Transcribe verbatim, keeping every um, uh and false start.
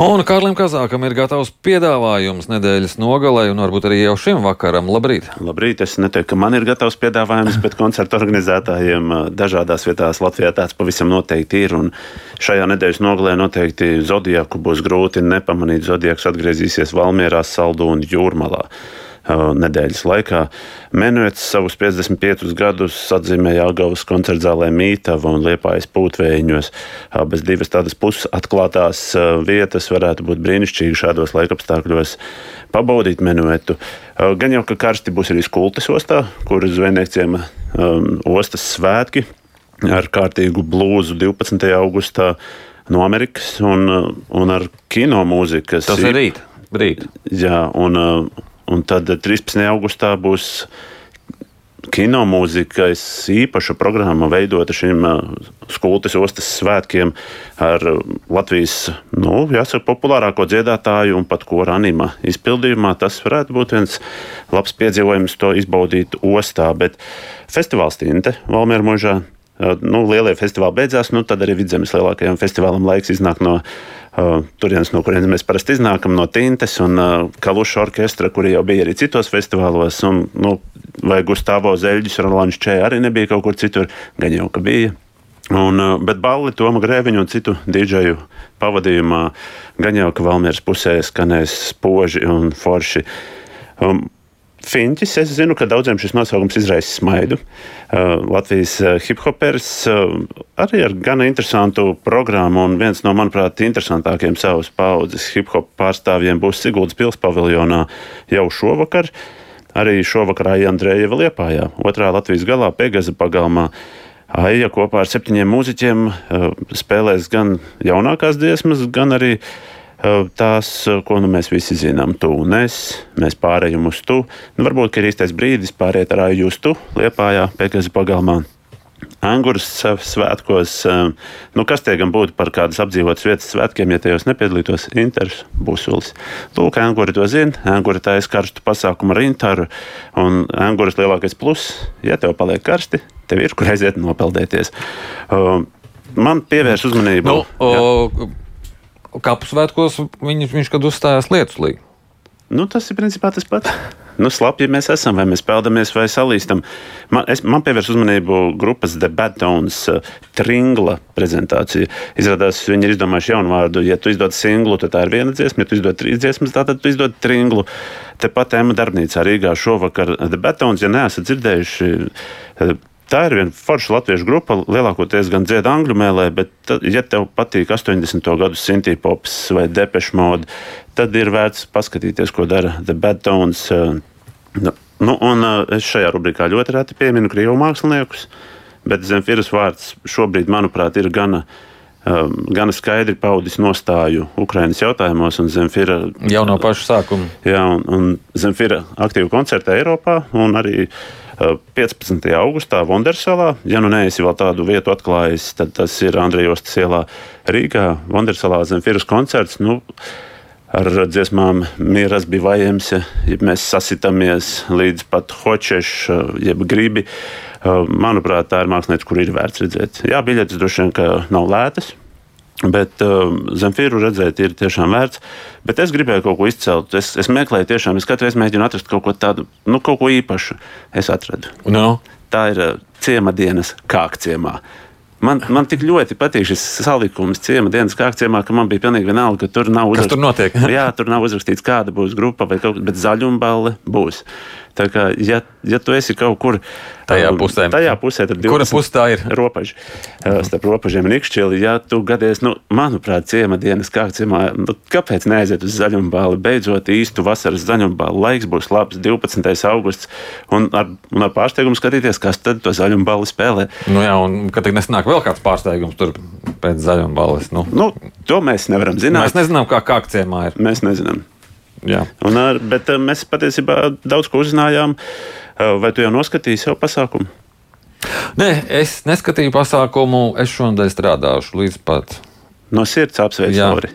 Un Kārlim Kazākam ir gatavs piedāvājums nedēļas nogalē, un varbūt arī jau šim vakaram. Labrīt! Labrīt! Es neteiktu, ka man ir gatavs piedāvājums, bet koncertu organizētājiem dažādās vietās Latvijā tāds pavisam noteikti ir. Un šajā nedēļas nogalē noteikti Zodiaku būs grūti nepamanīt. Zodiaks atgriezīsies Valmierā, Saldū un Jūrmalā nedēļas laikā. Menuets savus piecdesmit piecus gadus atzīmēja Jelgavas koncertzālē Mītava un Liepājas Pūtvējiņos. Abas divas tādas pusatklātās vietas varētu būt brīnišķīgi šādos laikapstākļos pabaudīt menuetu. Gan jau, ka karsti būs arī Skultes ostā, kur zvejnieciem um, ostas svētki ar kārtīgu blūzu divpadsmitajā augustā no Amerikas un, un ar kino mūzikas. Tas ir rīt. rīt. Jā, un Un tad trīspadsmitajā augustā būs kinomūzikas īpaša programma veidota šim Skultes ostas svētkiem ar Latvijas, nu, jāsaka, populārāko dziedātāju un pat kora anima izpildījumā. Tas varētu būt viens labs piedzīvojums to izbaudīt ostā, bet festivāls Tinte Valmiera mužā, nu, lielie festivāli beidzās, nu, tad arī Vidzemes lielākajam festivālam laiks iznāk no Uh, turienes, no kurienes mēs parasti iznākam, no Tintes un uh, Kaluša orkestra, kuri jau bija arī citos festivālos, un, nu, vai Gustavo Zeļģis, Rolands Čē arī nebija kaut kur citur, gan jau, ka bija. Un, uh, bet balli Toma Grēviņu un citu dīdžeju pavadījumā gan jau, ka Valmieras pusē skanēs spoži un forši. Um, Fiņķis, es zinu, ka daudziem šis nosaukums izraisa smaidu. Uh, Latvijas uh, hip-hopers uh, arī ar gana interesantu programmu, un viens no, manuprāt, interesantākiem savas paudzes hip-hop pārstāvjiem būs Siguldas pils paviljonā jau šovakar. Arī šovakar Aija Andrejeva Liepājā, otrā Latvijas galā, Pegaza pagalmā. Aija kopā ar septiņiem mūziķiem uh, spēlēs gan jaunākās dziesmas, gan arī tās, ko nu mēs visi zinām, tu un es, mēs pārējam uz tu. Nu, varbūt, ka ir īstais brīdis pāriet ar Aiju uz tu, Liepājā, Pegaza pagalmā. Anguras svētkos, nu kas tie gan būtu par kādas apdzīvotas vietas svētkiem, ja tajos nepiedalītos Inters Busulis. Lūk, Anguri to zina, Anguri taisa karstu pasākumu ar Interu, un Anguras lielākais plus, ja tev paliek karsti, tev ir kur aiziet nopeldēties. Man pievērs uzmanību. Nu, o, Kapu svētkos viņš, viņš kad uzstājās Lietuslī. Nu, tas ir principā tas pats. Nu, slapji mēs esam, vai mēs peldamies, vai salīstam. Man, es, man pievērs uzmanību grupas The Bad Tones uh, Tringla prezentācija. Izrādās, viņi ir izdomājuši jaunu vārdu. Ja tu izdod singlu, tad tā ir viena dziesma. Ja tu izdod trīs dziesmas, tad tu izdod tringlu. Tepat Ema darbnīcā Rīgā šovakar The Bad Tones, ja neesat dzirdējuši, uh, tā ir viena forša latviešu grupa, lielākoties gan dzied angļu mēlē, bet, tad, ja tev patīk astoņdesmito gadu synthpops vai Depeche Mode, tad ir vērts paskatīties, ko dara The Bad Tones. Nu, un es šajā rubrikā ļoti reti pieminu krievu māksliniekus, bet Zemfiras vārds šobrīd, manuprāt, ir gana, gana skaidri paudis nostāju Ukrainas jautājumos, un Zemfira jau no paša sākuma. Jā, un, un Zemfira aktīvi koncertē Eiropā, un arī piecpadsmitajā augustā Vondersalā. Ja nu neesi vēl tādu vietu atklājis, tad tas ir Andrejostas ielā Rīgā. Vondersalā Zemfiras koncerts, nu, ar dziesmām Mieras bivajams, ja mēs sasitamies līdz pat hočeš, jeb gribi. Manuprāt, tā ir mākslinieca, kur ir vērts redzēt. Jā, biļetes droši vien, ka nav lētas, bet uh, Zemfiru redzēt ir tiešām vērts. Bet es gribēju kaut ko izcelt. Es, es meklēju tiešām, es katru reizi mēģinu atrast kaut ko tādu, nu, kaut ko īpašu. Es atradu. No. Tā ir uh, Ciemadienas Kākciemā. Man, man tik ļoti patīk šis salikums Ciemadienas Kākciemā, ka man bija pilnīgi vienalga, ka tur nav uzrakstīts. Kas tur notiek? Jā, tur nav uzrakstīts, kāda būs grupa vai kaut kas, bet zaļumballe būs. Tā kā, ja, ja tu esi kaut kur tajā pusē, tajā pusē tad kura pusē tā ir? Ropaži, starp Ropažiem un Ikšķili, ja tu gadies, nu, manuprāt, Ciemadienas Kākciemā, nu, kāpēc neaiziet uz zaļumballi? Beidzot īstu vasaras zaļumballi, laiks būs labs, divpadsmitais augusts, un ar, un ar pārsteigumu skatīties, kas tad to zaļumballi spēlē. Nu jā, un kad tik nesanāk vēl kāds pārsteigums tur pēc zaļumballes, nu. Nu, to mēs nevaram zināt. Mēs nezinām, kā Kākciemā ir. Mēs nezinām. Jā. Un, bet mēs patiesībā daudz ko uzzinājām. Vai tu jau noskatīji savu pasākumu? Nē, es neskatīju pasākumu. Es šonadēļ strādāšu līdz pat. No sirds apsveicu, Lori.